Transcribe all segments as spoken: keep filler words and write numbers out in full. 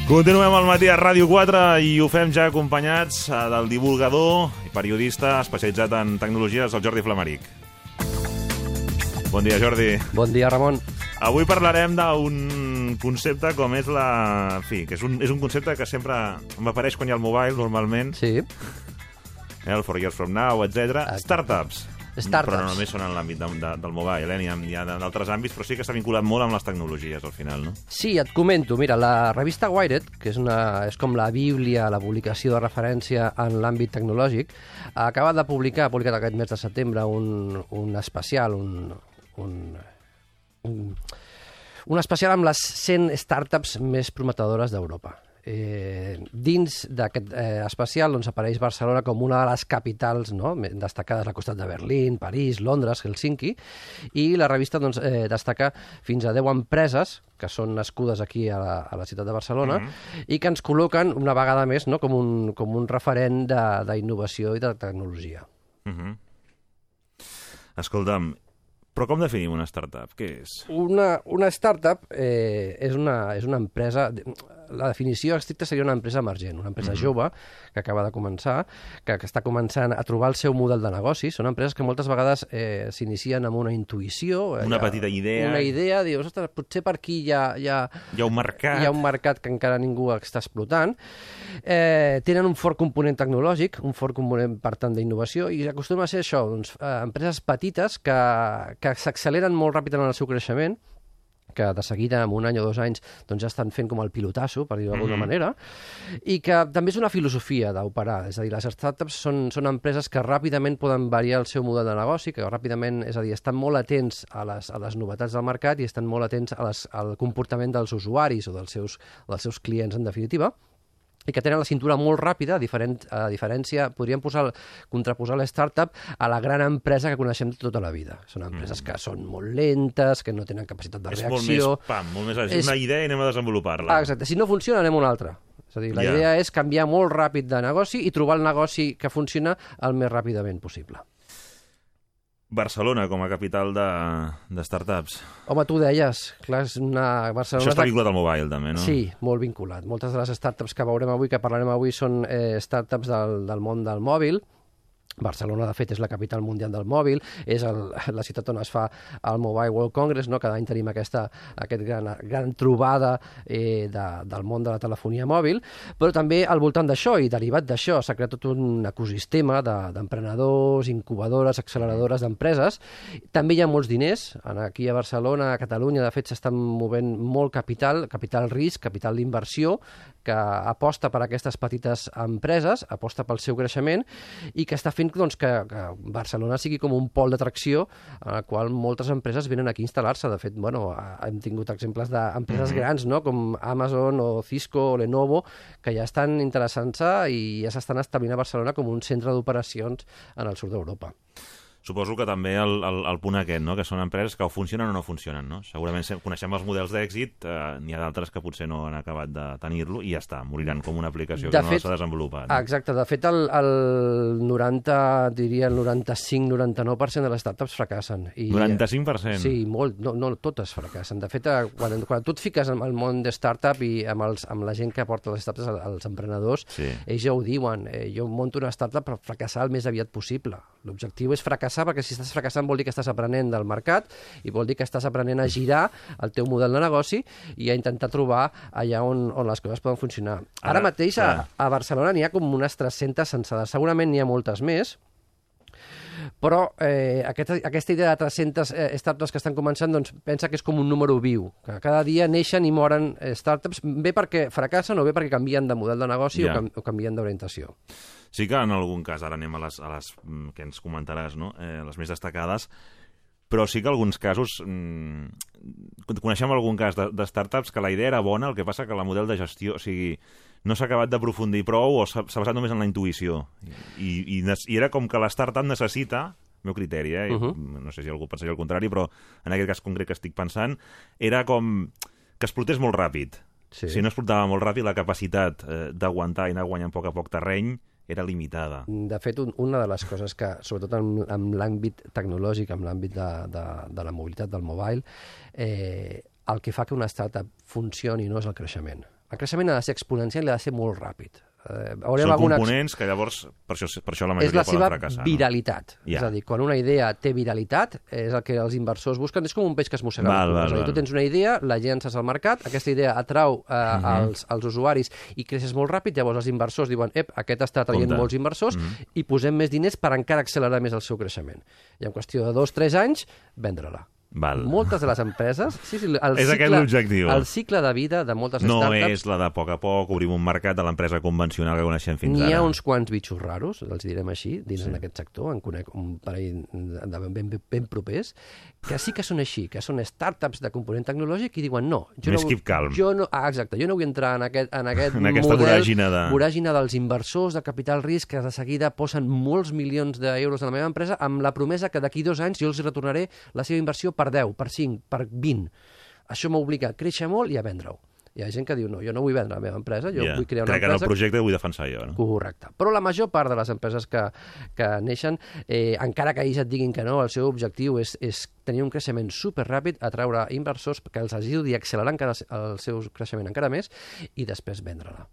Continuem al matí a Ràdio quatre i ho fem ja acompanyats del divulgador i periodista especialitzat en tecnologies, el Jordi Flamaric. Bon dia, Jordi. Bon dia, Ramon. Avui parlarem d'un concepte com és la... En fi, que és un, és un concepte que sempre m'apareix quan hi ha el mobile, normalment. Sí. El For Years From Now, etcètera. Startups. Startups. Però no només són en l'àmbit de, de, del mobile, eh? N'hi ha, hi ha d'altres àmbits, però sí que està vinculat molt amb les tecnologies, al final, no? Sí, et comento. Mira, la revista Wired, que és, una, és com la bíblia, la publicació de referència en l'àmbit tecnològic, ha acabat de publicar, ha publicat aquest mes de setembre, un, un especial, un, un, un, un especial amb les cent startups més prometedores d'Europa. Eh, dins d'aquest eh, especial doncs, apareix Barcelona com una de les capitals, no?, destacades al costat de Berlín, París, Londres, Helsinki, i la revista doncs, eh, destaca fins a deu empreses que són nascudes aquí a la, a la ciutat de Barcelona mm-hmm. i que ens col·loquen una vegada més, no?, com, un, com un referent d'innovació i de tecnologia. Mm-hmm. Escolta'm, però com definim una startup? Què és? Una, una startup eh, és, una, és una empresa... La definició estricta seria una empresa emergent, una empresa mm-hmm. jove que acaba de començar, que, que està començant a trobar el seu model de negoci. Són empreses que moltes vegades eh, s'inicien amb una intuïció. Una ha, petita idea. Una idea, dius, ostres, potser per aquí hi ha, hi ha, hi ha un mercat. Hi ha un mercat que encara ningú està explotant. Eh, tenen un fort component tecnològic, un fort component, per tant, d'innovació, i acostuma a ser això, doncs, eh, empreses petites que, que s'acceleren molt ràpid en el seu creixement, que de seguida, en un any o dos anys, doncs ja estan fent com el pilotasso, per dir-ho d'alguna mm-hmm. manera, i que també és una filosofia d'operar. És a dir, les startups són, són empreses que ràpidament poden variar el seu model de negoci, que ràpidament, és a dir, estan molt atents a les, a les novetats del mercat i estan molt atents a les, al comportament dels usuaris o dels seus, dels seus clients, en definitiva, i que tenen la cintura molt ràpida, a, diferent, a diferència, podríem posar, contraposar la startup a la gran empresa que coneixem tota la vida. Són empreses mm. que són molt lentes, que no tenen capacitat de és reacció... És molt més, pam, molt més... És, és una idea i anem a desenvolupar-la. Ah, exacte. Si no funciona, anem a una altra. És a dir, la yeah. idea és canviar molt ràpid de negoci i trobar el negoci que funciona el més ràpidament possible. Barcelona com a capital de, de startups. Home, tu deies, clar, és una... Barcelona Això està vinculat al mobile, també, no? Sí, molt vinculat. Moltes de les startups que veurem avui, que parlarem avui, són eh, startups del, del món del mòbil. Barcelona, de fet, és la capital mundial del mòbil, és el, la ciutat on es fa el Mobile World Congress, no? Cada any tenim aquesta aquest gran, gran trobada eh, de, del món de la telefonia mòbil, però també al voltant d'això i derivat d'això s'ha creat tot un ecosistema d'emprenedors, de, incubadores, acceleradores d'empreses. També hi ha molts diners. Aquí a Barcelona, a Catalunya, de fet, s'estan movent molt capital, capital risc, capital d'inversió, que aposta per aquestes petites empreses, aposta pel seu creixement i que està fent doncs, que, que Barcelona sigui com un pol d'atracció en el qual moltes empreses venen aquí a instal·lar-se. De fet, bueno, hem tingut exemples d'empreses mm-hmm. grans, no? Com Amazon o Cisco o Lenovo, que ja estan interessant-se i ja s'estan establint a Barcelona com un centre d'operacions en el sud d'Europa. Suposo que també el, el, el punt aquest, no? Que són empreses que o funcionen o no funcionen, no? Segurament coneixem els models d'èxit, eh, n'hi ha d'altres que potser no han acabat de tenir-lo i ja està, moriran com una aplicació de que fet, no s'ha desenvolupat. No? Exacte, de fet el, el noranta, diria el noranta-cinc noranta-nou per cent de les startups fracassen. I, noranta-cinc per cent? Sí, molt, no, no totes fracassen. De fet, quan, quan tu et fiques en el món de startup i amb, els, amb la gent que porta les startups, els emprenedors, sí. ells ja ho diuen, eh, jo monto una startup per fracassar el més aviat possible. L'objectiu és fracassar, perquè si estàs fracassant vol dir que estàs aprenent del mercat i vol dir que estàs aprenent a girar el teu model de negoci i a intentar trobar allà on, on les coses poden funcionar. Ara, Ara mateix a, a Barcelona n'hi ha com unes tres-centes censades, segurament n'hi ha moltes més, però eh, aquesta, aquesta idea de tres-centes eh, startups que estan començant, doncs pensa que és com un número viu, que cada dia neixen i moren eh, startups, bé perquè fracassen o bé perquè canvien de model de negoci yeah. o, cam, o canvien d'orientació. Sí que en algun cas, ara anem a les, a les que ens comentaràs, no? eh, les més destacades, però sí que en alguns casos, mmm, coneixem algun cas de, de startups que la idea era bona, el que passa que la model de gestió, o sigui, no s'ha acabat d'aprofundir prou o s'ha basat només en la intuïció. I, i, i era com que la startup necessita, meu criteri, eh? uh-huh. no sé si algú pensaria el contrari, però en aquest cas concret que estic pensant, era com que explotés molt ràpid. Sí. Si no explotava molt ràpid, la capacitat eh, d'aguantar i anar guanyant a poc a poc terreny era limitada. De fet, un, una de les coses que, sobretot en, en l'àmbit tecnològic, en l'àmbit de, de, de la mobilitat del mobile, eh, el que fa que una startup funcioni no és el creixement. El creixement ha de ser exponencial i ha de ser molt ràpid. Eh, Són alguna... components que llavors, per això, per això la majoria poden fracassar. És la seva viralitat. No? Yeah. És a dir, quan una idea té viralitat, és el que els inversors busquen, és com un peix que es mossega. Val, val, és a dir, tu tens una idea, la llences al mercat, aquesta idea atrau eh, uh -huh. als, als usuaris i creixes molt ràpid, llavors els inversors diuen, ep, aquest està traient Compte. molts inversors uh -huh. i posem més diners per encara accelerar més el seu creixement. I en qüestió de dos o tres anys, vendre-la. Val. Moltes de les empreses... Sí, sí, el és cicle, aquest l'objectiu. El cicle de vida de moltes no startups... No és la de a poc a poc obrim un mercat de l'empresa convencional que coneixem fins ara. ara. N'hi ha uns quants bitxos raros, els direm així, dins sí. d'aquest sector, en conec un parell de ben, ben, ben propers, que sí que són així, que són startups de component tecnològic i diuen no... Jo Més no, keep calm. Jo no, ah, exacte, jo no vull entrar en aquest, en aquest en aquesta model, voràgina, de... voràgina dels inversors de capital risc que de seguida posen molts milions d'euros en la meva empresa amb la promesa que d'aquí dos anys jo els retornaré la seva inversió per deu, per cinc, per vint. Això m'obliga a créixer molt i a vendre-ho. Hi ha gent que diu, no, jo no vull vendre la meva empresa, jo yeah. vull crear una Crec empresa... Crec que en el projecte vull defensar jo, no? Correcte. Però la major part de les empreses que, que neixen, eh, encara que ells et diguin que no, el seu objectiu és, és tenir un creixement superràpid, atraure inversors que els ajudi a accelerar encara el seu creixement encara més i després vendre-la.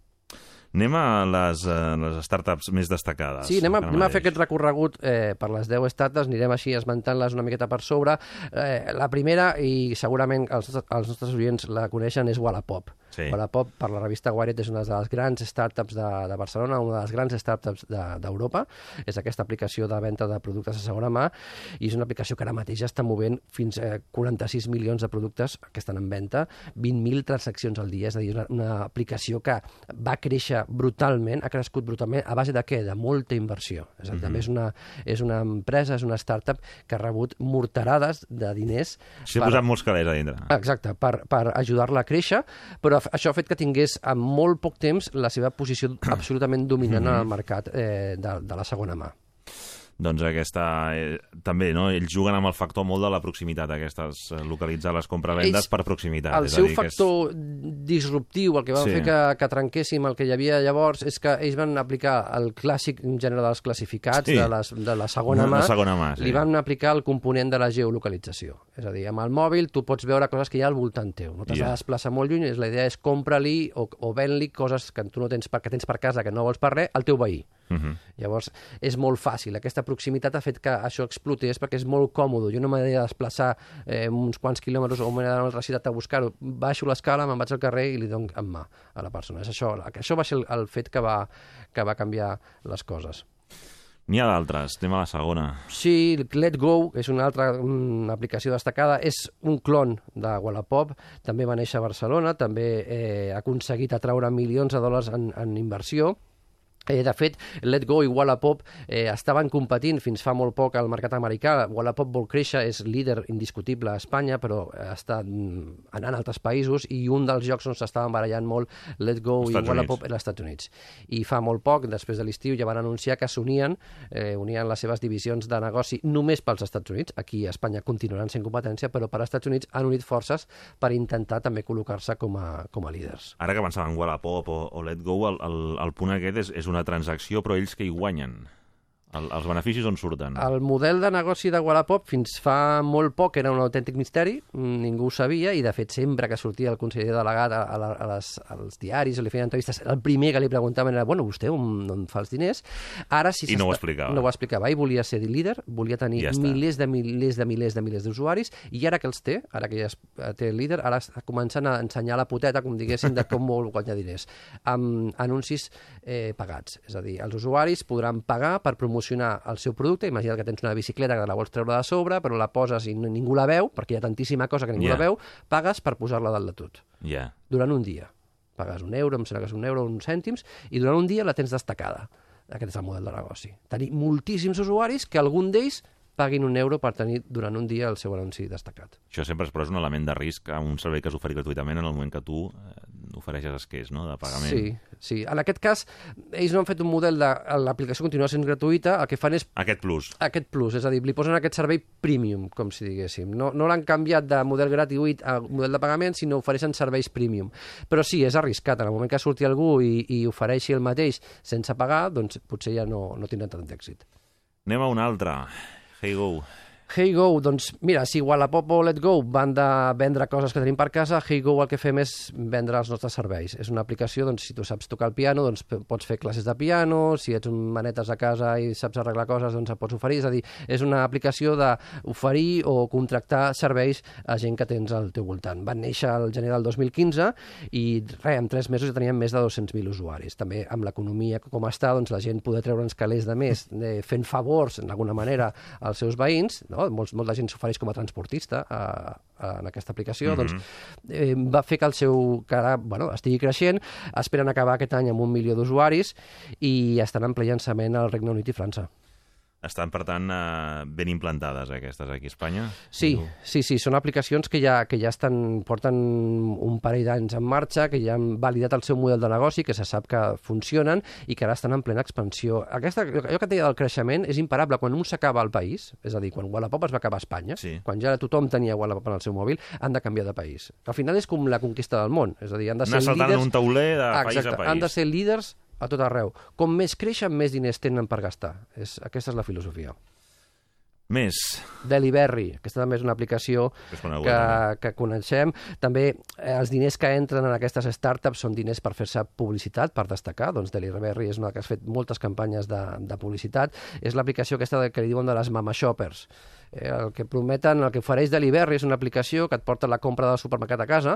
Anem a les, uh, les startups més destacades. Sí, anem a, anem a fer aquest recorregut eh, per les deu startups, anirem així esmentant-les una miqueta per sobre. Eh, la primera, i segurament els, els nostres oients la coneixen, és Wallapop. Sí. Wallapop, per la revista Wired, és una de les grans startups de, de Barcelona, una de les grans startups d'Europa. De, és aquesta aplicació de venda de productes a segona mà i és una aplicació que ara mateix ja està movent fins a quaranta-sis milions de productes que estan en venda, vint mil transaccions al dia. És a dir, una, una aplicació que va créixer brutalment, ha crescut brutalment, a base de què? De molta inversió. És a dir, mm-hmm. també és una, és una empresa, és una startup que ha rebut morterades de diners. S'ha per... posat molts calés a dintre. Exacte, per, per ajudar-la a créixer, però això ha fet que tingués en molt poc temps la seva posició absolutament dominant mm-hmm. en el mercat eh, de, de la segona mà. Doncs aquesta... Eh, també, no? Ells juguen amb el factor molt de la proximitat, aquestes, eh, localitzar les compravendes per proximitat. El és seu a dir, factor és... disruptiu, el que va sí. fer que, que trenquéssim el que hi havia llavors, és que ells van aplicar el clàssic gènere dels classificats, sí. de, les, de la segona mà, la segona mà sí. li van aplicar el component de la geolocalització. És a dir, amb el mòbil tu pots veure coses que hi ha al voltant teu. No t'has yeah. de desplaçar molt lluny, la idea és compra-li o, o ven-li coses que tu no tens per, que tens per casa, que no vols per res, al teu veí. Uh-huh. Llavors, és molt fàcil. Aquesta proximitat ha fet que això explotés perquè és molt còmode. Jo no m'he de desplaçar eh, uns quants quilòmetres o m'he d'anar a una altra ciutat a buscar-ho. Baixo l'escala, me'n vaig al carrer i li dono en mà a la persona. És això, això va ser el, el fet que va, que va canviar les coses. N'hi ha d'altres, anem a la segona. Sí, Let Go és una altra una aplicació destacada, és un clon de Wallapop, també va néixer a Barcelona, també eh, ha aconseguit atraure milions de dòlars en, en inversió. Eh, de fet, Let Go i Wallapop eh, estaven competint fins fa molt poc al mercat americà. Wallapop vol créixer, és líder indiscutible a Espanya, però està anant a altres països i un dels jocs on s'estaven barallant molt Let Go i Wallapop era als Estats Units. I fa molt poc, després de l'estiu, ja van anunciar que s'unien, eh, unien les seves divisions de negoci només pels Estats Units. Aquí a Espanya continuaran sent competència, però per als Estats Units han unit forces per intentar també col·locar-se com a, com a líders. Ara que pensava en Wallapop o, o Let Go, el, el, el punt aquest és, és una transacció, però ells que hi guanyen? El, els beneficis on surten? El model de negoci de Wallapop fins fa molt poc era un autèntic misteri, ningú ho sabia, i de fet sempre que sortia el conseller delegat a, a, a les, als diaris o li feien entrevistes, el primer que li preguntaven era, bueno, vostè on, on fa els diners? Ara sí I no ho explicava. No ho explicava. Ell volia ser líder, volia tenir ja milers de milers de milers de milers d'usuaris, i ara que els té, ara que ja té el líder, ara està començant a ensenyar la poteta, com diguéssim, de com vol guanyar diners, amb anuncis eh, pagats. És a dir, els usuaris podran pagar per promocionar el seu producte. Imagina't que tens una bicicleta que la vols treure de sobre, però la poses i ningú la veu, perquè hi ha tantíssima cosa que ningú yeah. la veu, pagues per posar-la dalt de tot. Yeah. Durant un dia. Pagues un euro, em sembla que és un euro, uns cèntims, i durant un dia la tens destacada. Aquest és el model de negoci. Tenir moltíssims usuaris que algun d'ells paguin un euro per tenir durant un dia el seu anunci destacat. Això sempre és, però és un element de risc a un servei que s'ofereix gratuïtament en el moment que tu eh, ofereixes esquers, no?, de pagament. Sí, sí. En aquest cas, ells no han fet un model de... L'aplicació continua sent gratuïta, el que fan és... Aquest plus. Aquest plus, és a dir, li posen aquest servei premium, com si diguéssim. No, no l'han canviat de model gratuït a model de pagament, sinó ofereixen serveis premium. Però sí, és arriscat. En el moment que surti algú i, i ofereixi el mateix sense pagar, doncs potser ja no, no tindran tant d'èxit. Anem a una altra. HeyGo. HeyGo, doncs mira, si Wallapop o Letgo van de vendre coses que tenim per casa, HeyGo el que fem és vendre els nostres serveis. És una aplicació, doncs, si tu saps tocar el piano, doncs pots fer classes de piano, si ets un manetes a casa i saps arreglar coses, doncs et pots oferir. És a dir, és una aplicació d'oferir o contractar serveis a gent que tens al teu voltant. Van néixer al gener del dos mil quinze i res, en tres mesos ja teníem més de dos-cents mil usuaris. També amb l'economia com està, doncs la gent poder treure'ns calés de més, de, fent favors, d'alguna manera, als seus veïns, no? Molts, molta gent s'ofereix com a transportista a, a, en aquesta aplicació, mm-hmm. doncs eh, va fer que el seu que ara, bueno, estigui creixent. Esperen acabar aquest any amb un milió d'usuaris i estan en ple llançament al Regne Unit i França. Estan, per tant, eh, ben implantades, eh, aquestes, aquí a Espanya? Sí, sí, sí, són aplicacions que ja, que ja estan, porten un parell d'anys en marxa, que ja han validat el seu model de negoci, que se sap que funcionen i que ara estan en plena expansió. Aquesta, allò que et deia del creixement és imparable. Quan un s'acaba al país, és a dir, quan Wallapop es va acabar a Espanya, sí. quan ja tothom tenia Wallapop en el seu mòbil, han de canviar de país. Al final és com la conquista del món, és a dir, han de ser líders... Anar saltant un tauler de Exacte, país a país. Han de ser líders a tot arreu. Com més creixen, més diners tenen per gastar. És, aquesta és la filosofia. Més. Delivery. Aquesta també és una aplicació que, que, que coneixem. També eh, els diners que entren en aquestes startups són diners per fer-se publicitat, per destacar. Doncs Delivery és una que has fet moltes campanyes de, de publicitat. És l'aplicació aquesta que li diuen de les mama shoppers. Eh, el que prometen, el que ofereix Delivery és una aplicació que et porta la compra del supermercat a casa,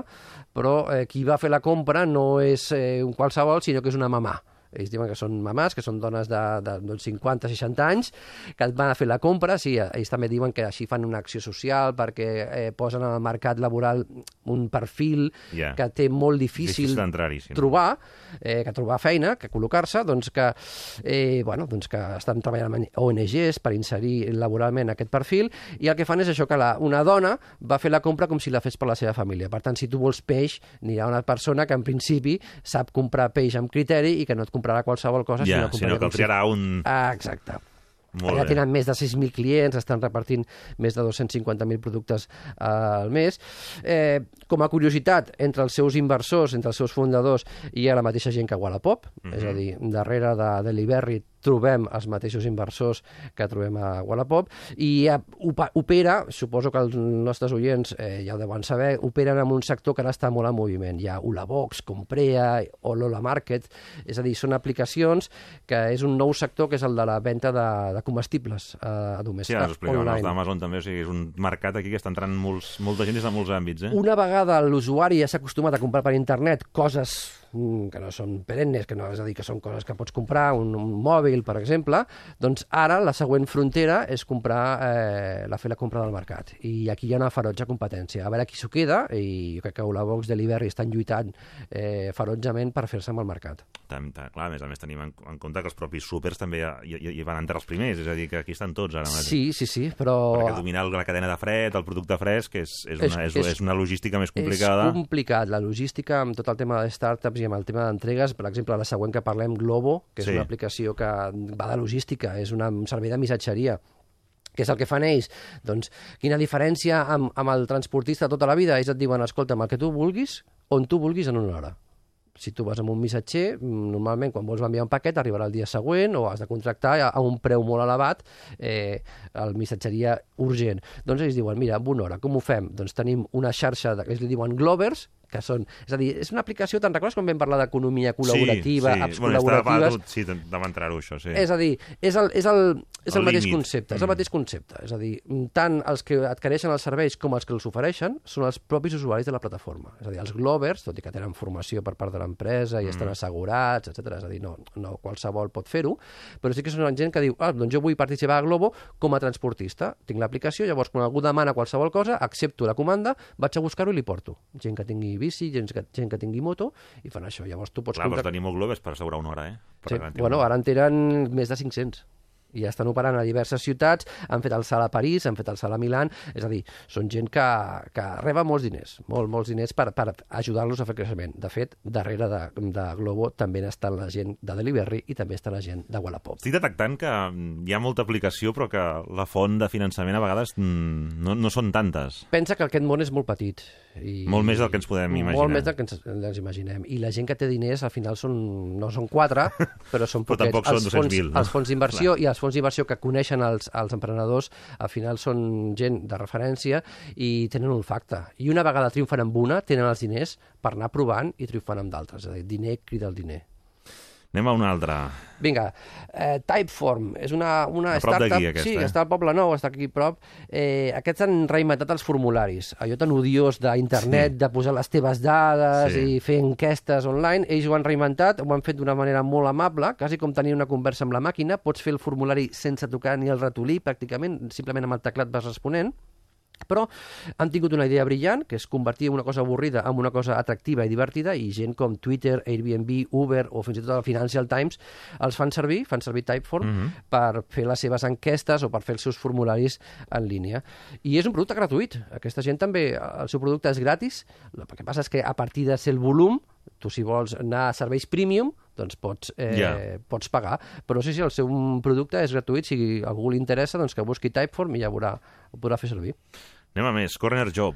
però eh, qui va fer la compra no és eh, un qualsevol, sinó que és una mamà. Ells diuen que són mamàs, que són dones de, de, de cinquanta a seixanta anys, que van a fer la compra. Sí, ells també diuen que així fan una acció social perquè eh, posen al mercat laboral un perfil yeah. que té molt difícil, difícil sí. trobar, eh, que trobar feina, que col·locar-se, doncs que, eh, bueno, doncs que estan treballant amb O N Ges per inserir laboralment aquest perfil, i el que fan és això, que la, una dona va fer la compra com si la fes per la seva família. Per tant, si tu vols peix, n'hi ha una persona que en principi sap comprar peix amb criteri i que no et comprarà qualsevol cosa, ja, sinó, sinó que el triarà un... Ah, exacte. Molt ja bé. tenen més de sis mil clients, estan repartint més de dos-cents cinquanta mil productes uh, al mes. Eh, com a curiositat, entre els seus inversors, entre els seus fundadors, hi ha la mateixa gent que Wallapop, mm-hmm. és a dir, darrere de Delivery trobem els mateixos inversors que trobem a Wallapop, i opera, suposo que els nostres oients eh, ja ho deuen saber, operen en un sector que ara està molt en moviment. Hi ha Ulabox, Comprea o Lola Market, és a dir, són aplicacions que és un nou sector que és el de la venda de, de comestibles eh, a domèstic. Sí, ara us explicaven els d'Amazon també, o sigui, és un mercat aquí que està entrant molts, molta gent des de molts àmbits. Eh? Una vegada l'usuari ja s'ha acostumat a comprar per internet coses que no són perennes, que no, és a dir, que són coses que pots comprar, un, un mòbil, per exemple, doncs ara la següent frontera és comprar, eh, la fer la compra del mercat. I aquí hi ha una ferotge competència. A veure qui s'ho queda, i jo crec que Ulabox, Delivery estan lluitant eh, ferotgement per fer-se amb el mercat. Tam, tam, clar, a més a més tenim en, en compte que els propis súpers també hi, hi, hi van entrar els primers, és a dir, que aquí estan tots ara mateix. Sí, sí, sí, però... Perquè dominar la cadena de fred, el producte fresc, és, és, una, és, és, és una logística més complicada. És complicat, la logística amb tot el tema de startups i amb el tema d'entregues. Per exemple, la següent que parlem, Glovo, que és sí. una aplicació que va de logística, és una, un servei de missatgeria. Què és el que fan ells? Doncs quina diferència amb, amb el transportista tota la vida? Ells et diuen, escolta, el que tu vulguis, on tu vulguis en una hora. Si tu vas amb un missatger, normalment quan vols enviar un paquet arribarà el dia següent o has de contractar a un preu molt elevat eh, el missatgeria urgent. Doncs ells diuen, mira, en una hora, com ho fem? Doncs tenim una xarxa de, que ells li diuen Glovers, que són... És a dir, és una aplicació, te'n recordes quan vam parlar d'economia col·laborativa, sí, sí. apps bueno, col·laboratives? Tot, sí, vam entrar-ho, això, sí. És a dir, és el, és el, és el, el mateix límit. concepte, és el Mm. mateix concepte. És a dir, tant els que adquireixen els serveis com els que els ofereixen són els propis usuaris de la plataforma. És a dir, els Glovers, tot i que tenen formació per part de l'empresa i Mm. estan assegurats, etcètera. És a dir, no, no qualsevol pot fer-ho, però sí que són gent que diu, ah, doncs jo vull participar a Glovo com a transportista. Tinc l'aplicació, llavors quan algú demana qualsevol cosa, accepto la comanda, vaig a buscar-ho i li porto. Gent que tingui bici, gent que, gent que tingui moto, i fan això. Llavors tu pots... Clar, comprar... vols tenir molt globes per assegurar una hora, eh? Per Sí. Bueno, ara en tenen més de cinc-cents. I ja estan operant a diverses ciutats, han fet el salt a París, han fet el salt a Milà, és a dir, són gent que, que reba molts diners, molt, molts diners per, per ajudar-los a fer creixement. De fet, darrere de, de Glovo també està la gent de Delivery i també està la gent de Wallapop. Estic detectant que hi ha molta aplicació, però que la font de finançament a vegades no, no són tantes. Pensa que aquest món és molt petit. I molt més del que ens podem imaginar. Molt més del que ens, ens imaginem. I la gent que té diners, al final, són, no són quatre, però són però poquets. tampoc són dos-cents mil. Els fons d'inversió i els fons d'inversió que coneixen els, els emprenedors, al final són gent de referència i tenen olfacte. I una vegada triomfen amb una, tenen els diners per anar provant i triomfant amb d'altres. És a dir, diner crida el diner. Anem a una altra. Vinga, eh, Typeform és una, una a prop startup... d'aquí, aquesta, sí, eh? està al Poble Nou, està aquí a prop. Eh, aquests han reinventat els formularis. Allò tan odiós d'internet, sí. de posar les teves dades sí. i fer enquestes online. Ells ho han reinventat, ho han fet d'una manera molt amable, quasi com tenir una conversa amb la màquina. Pots fer el formulari sense tocar ni el ratolí, pràcticament, simplement amb el teclat vas responent. Però han tingut una idea brillant, que és convertir una cosa avorrida en una cosa atractiva i divertida, i gent com Twitter, Airbnb, Uber o fins i tot el Financial Times els fan servir, fan servir Typeform, mm -hmm. per fer les seves enquestes o per fer els seus formularis en línia. I és un producte gratuït. Aquesta gent també, el seu producte és gratis. El que passa és que a partir de ser el volum, tu si vols anar a serveis premium, doncs pots, eh, yeah. pots pagar. Però sí, sí, el seu producte és gratuït. Si a algú li interessa, doncs que busqui Typeform i ja veurà, ho podrà fer servir. Anem a més. Corner Job.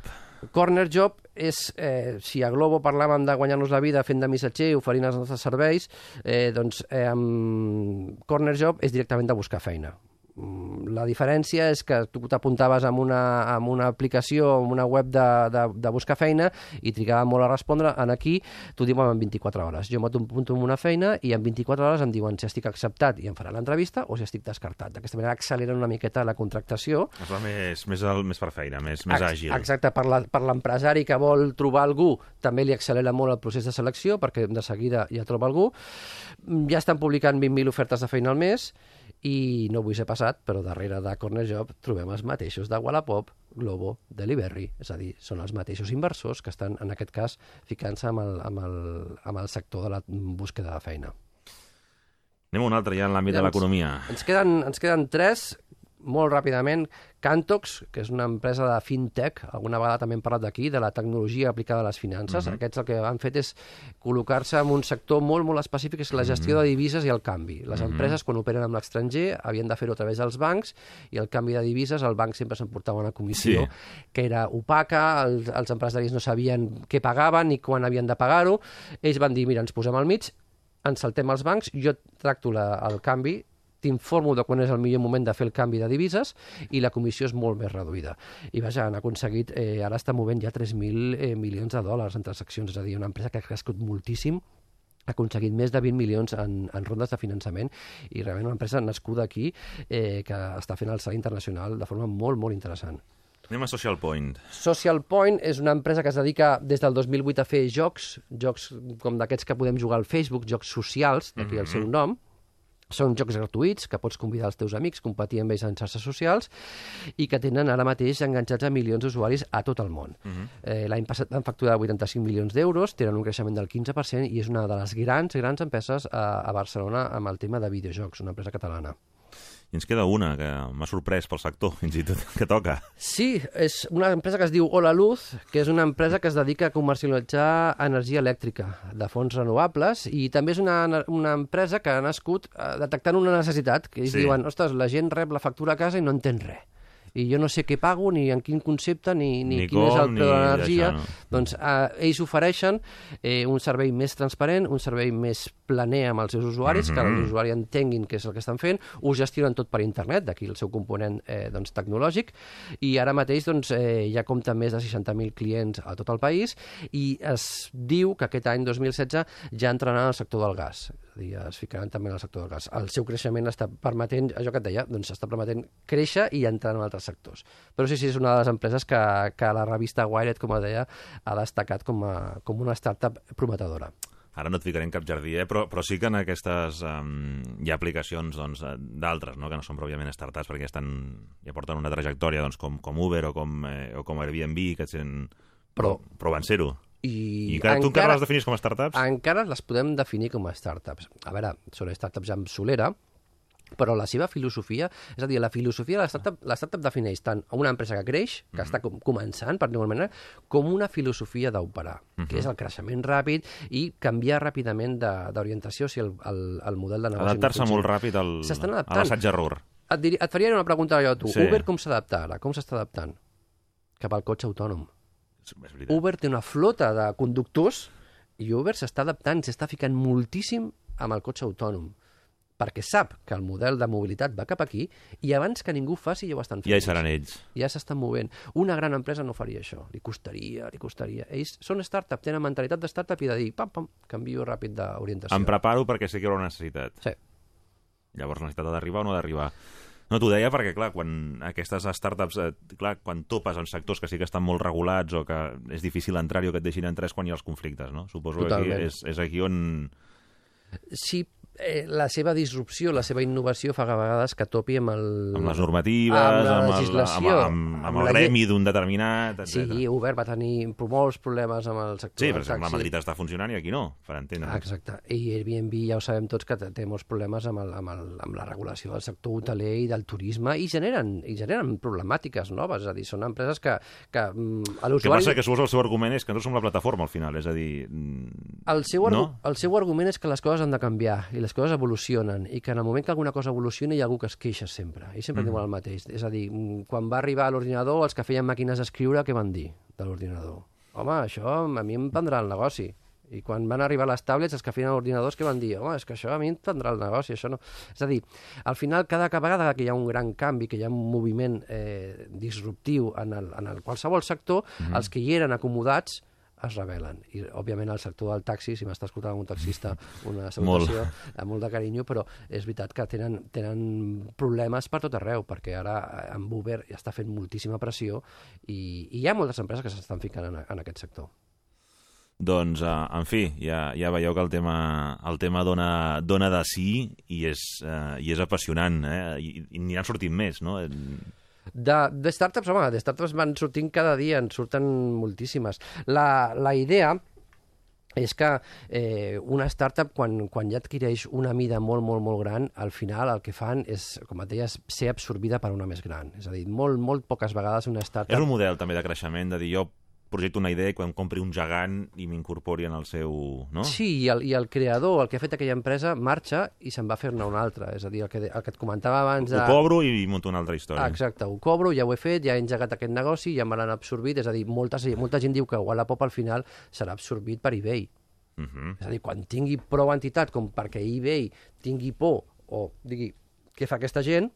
Corner Job és, eh, si a Globo parlàvem de guanyar-nos la vida fent de missatger, oferint els nostres serveis, eh, doncs eh, amb Corner Job és directament de buscar feina. La diferència és que tu t'apuntaves amb una, amb una aplicació, amb una web de, de, de buscar feina i trigava molt a respondre. En aquí t'ho diuen en vint-i-quatre hores. Jo m'apunto amb una feina i en vint-i-quatre hores em diuen si estic acceptat i em faran l'entrevista o si estic descartat. D'aquesta manera acceleren una miqueta la contractació. Es va més, més, el, més per feina, més, més àgil. Exacte, per l'empresari que vol trobar algú també li accelera molt el procés de selecció perquè de seguida ja troba algú. Ja estan publicant vint mil ofertes de feina al mes i no vull ser passat, però darrere de Corner Job trobem els mateixos de Wallapop, Globo, Delivery, és a dir, són els mateixos inversors que estan, en aquest cas, ficant-se amb, el, amb, el, amb el sector de la búsqueda de feina. Anem a un altre ja en l'àmbit de l'economia. Ens queden, ens queden tres, molt ràpidament. Cantox, que és una empresa de fintech, alguna vegada també hem parlat d'aquí, de la tecnologia aplicada a les finances. Uh -huh. Aquests el que han fet és col·locar-se en un sector molt, molt específic, que és la gestió uh -huh. de divises i el canvi. Les uh -huh. empreses, quan operen amb l'estranger, havien de fer-ho a través dels bancs, i el canvi de divises, el banc sempre s'emportava una comissió sí. que era opaca, els, els empresaris no sabien què pagaven ni quan havien de pagar-ho. Ells van dir, mira, ens posem al mig, ens saltem els bancs, jo tracto la, el canvi, t'informo de quan és el millor moment de fer el canvi de divises i la comissió és molt més reduïda. I vaja, han aconseguit, eh, ara està movent ja tres mil eh, milions de dòlars en transaccions, és a dir, una empresa que ha crescut moltíssim, ha aconseguit més de vint milions en, en rondes de finançament i realment una empresa nascuda aquí eh, que està fent el salt internacional de forma molt, molt interessant. Anem a Social Point. Social Point és una empresa que es dedica des del dos mil vuit a fer jocs, jocs com d'aquests que podem jugar al Facebook, jocs socials, d'aquí mm-hmm. el seu nom. Són jocs gratuïts que pots convidar els teus amics, competir amb ells en xarxes socials i que tenen ara mateix enganxats a milions d'usuaris a tot el món. Uh-huh. eh, L'any passat van facturar vuitanta-cinc milions d'euros, tenen un creixement del quinze per cent i és una de les grans, grans empreses a, a Barcelona amb el tema de videojocs, una empresa catalana. I ens queda una que m'ha sorprès pel sector, fins i tot, que toca. Sí, és una empresa que es diu Hola Luz, que és una empresa que es dedica a comercialitzar energia elèctrica de fonts renovables i també és una, una empresa que ha nascut detectant una necessitat, que ells sí. diuen, ostres, la gent rep la factura a casa i no entén res. I jo no sé què pago, ni en quin concepte, ni, ni, ni quin com, és el preu de l'energia. No. Doncs eh, ells ofereixen eh, un servei més transparent, un servei més planer amb els seus usuaris, mm-hmm. que els usuaris entenguin què és el que estan fent, ho gestionen tot per internet, d'aquí el seu component eh, doncs, tecnològic, i ara mateix doncs, eh, ja compta més de seixanta mil clients a tot el país, i es diu que aquest any, dos mil setze, ja entraran al sector del gas. És a dir, es ficaran també en el sector del gas. El seu creixement està permetent, allò que et deia, doncs està permetent créixer i entrar en altres sectors. Però sí, sí, és una de les empreses que, que la revista Wired, com deia, ha destacat com, a, com una startup prometedora. Ara no et ficaré en cap jardí, eh? però, però sí que en aquestes um, hi ha aplicacions doncs, d'altres, no? que no són pròpiament startups, perquè estan, ja porten una trajectòria doncs, com, com Uber o com, eh, o com Airbnb, que sent... però, però van ser-ho. I, I encara, tu encara les definis com a startups? Encara les podem definir com a startups. A veure, són startups amb solera, però la seva filosofia, és a dir, la filosofia de la startup, la startup defineix tant una empresa que creix, que mm-hmm. està com, començant, per dir-ho manera, com una filosofia d'operar, mm-hmm. que és el creixement ràpid i canviar ràpidament d'orientació si el, el, el model de negoci... Adaptar-se molt ràpid al, a l'assaig-error. Et, dir, et faria una pregunta jo a tu. Sí. Uber com s'adapta ara? Com s'està adaptant? Cap al cotxe autònom. Uber té una flota de conductors i Uber s'està adaptant, s'està ficant moltíssim amb el cotxe autònom. perquè sap que el model de mobilitat va cap aquí i abans que ningú faci ja ho estan fent. Ja hi seran ells. Ja s'estan movent. Una gran empresa no faria això. Li costaria, li costaria. Ells són startup, tenen mentalitat de startup i de dir, pam, pam, canvio ràpid d'orientació. Em preparo perquè sé que hi haurà una necessitat. Sí. Llavors, la necessitat ha d'arribar o no ha d'arribar. No, t'ho deia perquè, clar, quan aquestes startups, eh, clar, quan topes en sectors que sí que estan molt regulats o que és difícil entrar-hi o que et deixin entrar és quan hi ha els conflictes, no? Suposo Totalment. que aquí és, és aquí on... Sí, eh, la seva disrupció, la seva innovació fa a vegades que topi amb el... Amb les normatives, amb la amb, legislació, el, amb, amb, amb, amb el gremi d'un determinat, etcètera. Sí, Uber va tenir molts problemes amb el sector sí, del per exemple, taxi. a Madrid està funcionant i aquí no, per entendre. Ah, exacte. I Airbnb ja ho sabem tots que té molts problemes amb, el, amb, el, amb la regulació del sector hoteler i del turisme i generen, i generen problemàtiques noves. És a dir, són empreses que, que mm, a l'usuari... El que passa que el seu argument és que no som la plataforma al final, és a dir... El seu, argu... no? el seu argument és que les coses han de canviar i les coses evolucionen i que en el moment que alguna cosa evoluciona hi ha algú que es queixa sempre. I sempre mm. diuen el mateix. És a dir, quan va arribar a l'ordinador, els que feien màquines d'escriure, què van dir de l'ordinador? Home, això a mi em prendrà el negoci. I quan van arribar les tablets, els que feien ordinadors, què van dir? Home, és que això a mi em prendrà el negoci, això no... És a dir, al final, cada vegada que hi ha un gran canvi, que hi ha un moviment eh, disruptiu en el, en el qualsevol sector, mm. els que hi eren acomodats es rebel·len. I, òbviament, el sector del taxi, si m'està escoltant un taxista, una salutació molt. amb molt de carinyo, però és veritat que tenen, tenen problemes per tot arreu, perquè ara amb Uber ja està fent moltíssima pressió i, i hi ha moltes empreses que s'estan ficant en, en aquest sector. Doncs, uh, en fi, ja, ja veieu que el tema, el tema dona, dona de sí i és, uh, i és apassionant, eh? I, i n'hi han sortit més, no? De, de startups, home, de startups van sortint cada dia, en surten moltíssimes. La, la idea és que eh, una startup, quan, quan ja adquireix una mida molt, molt, molt gran, al final el que fan és, com et deies, ser absorbida per una més gran. És a dir, molt, molt poques vegades una startup... És un model també de creixement, de dir jo projecto una idea i quan compri un gegant i m'incorpori en el seu... No? Sí, i el, i el creador, el que ha fet aquella empresa, marxa i se'n va a fer-ne una altra. És a dir, el que, el que et comentava abans... De... Ho cobro i monto una altra història. Ah, exacte, ho cobro, ja ho he fet, ja he engegat aquest negoci, ja me l'han absorbit. És a dir, molta, molta gent diu que Wallapop al final serà absorbit per eBay. Uh -huh. És a dir, quan tingui prou entitat com perquè eBay tingui por o digui què fa aquesta gent,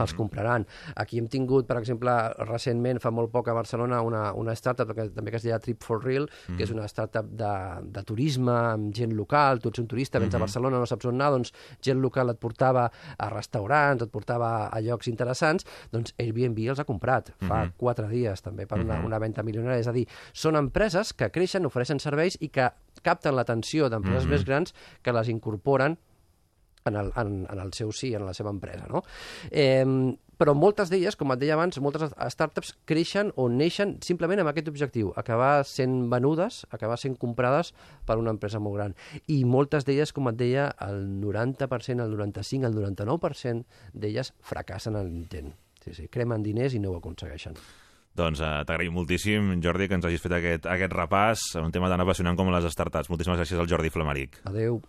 els compraran. Aquí hem tingut, per exemple, recentment, fa molt poc a Barcelona, una, una startup que també que es deia Trip for Real, mm. que és una startup de, de turisme, amb gent local, tu ets un turista, vens mm -hmm. a Barcelona, no saps on anar, doncs gent local et portava a restaurants, et portava a llocs interessants, doncs Airbnb els ha comprat fa mm -hmm. quatre dies, també, per una, mm -hmm. una venda milionària. És a dir, són empreses que creixen, ofereixen serveis i que capten l'atenció d'empreses mm -hmm. més grans que les incorporen en el, en, en el seu sí, en la seva empresa, no? Eh, però moltes d'elles, com et deia abans, moltes startups creixen o neixen simplement amb aquest objectiu, acabar sent venudes, acabar sent comprades per una empresa molt gran. I moltes d'elles, com et deia, el noranta per cent, el noranta-cinc, el noranta-nou per cent d'elles fracassen en l'intent. Sí, sí, cremen diners i no ho aconsegueixen. Doncs uh, t'agraïm moltíssim, Jordi, que ens hagis fet aquest, aquest repàs, un tema tan apassionant com les startups. Moltíssimes gràcies al Jordi Flamaric. Adéu.